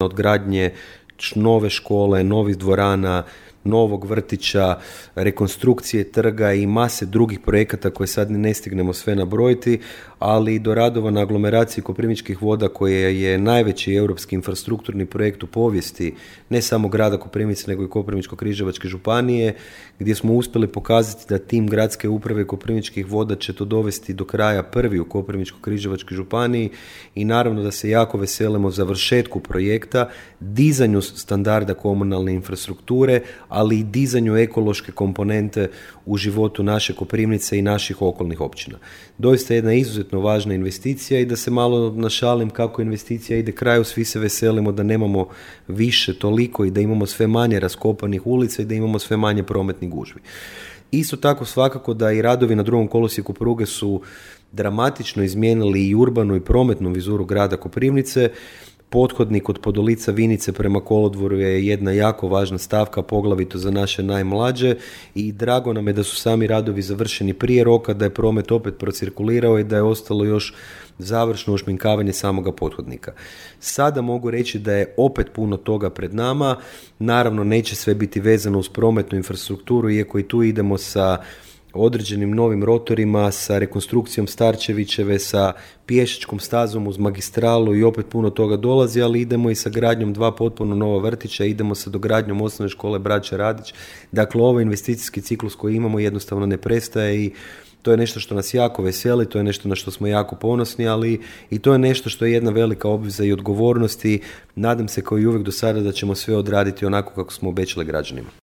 od gradnje nove škole, novih dvorana, novog vrtića, rekonstrukcije trga i mase drugih projekata koje sad ne stignemo sve nabrojiti, ali i do radova na aglomeraciji Koprivničkih voda koje je najveći europski infrastrukturni projekt u povijesti ne samo grada Koprivnice nego i Koprivničko-križevačke županije, gdje smo uspjeli pokazati da tim gradske uprave Koprivničkih voda će to dovesti do kraja prvi u Koprivničko-križevačkoj županiji i naravno da se jako veselimo završetku projekta, dizanju standarda komunalne infrastrukture, ali i dizanju ekološke komponente u životu naše Koprivnice i naših okolnih općina. Doista jedna izuzetno važna investicija i da se malo našalim kako investicija ide kraju, svi se veselimo da nemamo više toliko i da imamo sve manje raskopanih ulica i da imamo sve manje prometnih gužvi. Isto tako svakako da i radovi na drugom kolosijeku pruge su dramatično izmijenili i urbanu i prometnu vizuru grada Koprivnice. Pothodnik od Podolica Vinice prema kolodvoru je jedna jako važna stavka, poglavito za naše najmlađe i drago nam je da su sami radovi završeni prije roka, da je promet opet procirkulirao i da je ostalo još završno ušminkavanje samoga pothodnika. Sada mogu reći da je opet puno toga pred nama, naravno neće sve biti vezano uz prometnu infrastrukturu, iako i tu idemo sa određenim novim rotorima, sa rekonstrukcijom Starčevićeve, sa pješačkom stazom uz magistralu i opet puno toga dolazi, ali idemo i sa gradnjom 2 potpuno nova vrtića, idemo sa dogradnjom osnovne škole Braće Radić. Dakle, ovaj investicijski ciklus koji imamo jednostavno ne prestaje i to je nešto što nas jako veseli, to je nešto na što smo jako ponosni, ali i to je nešto što je jedna velika obveza i odgovornost i nadam se kao i uvijek do sada da ćemo sve odraditi onako kako smo obećali građanima.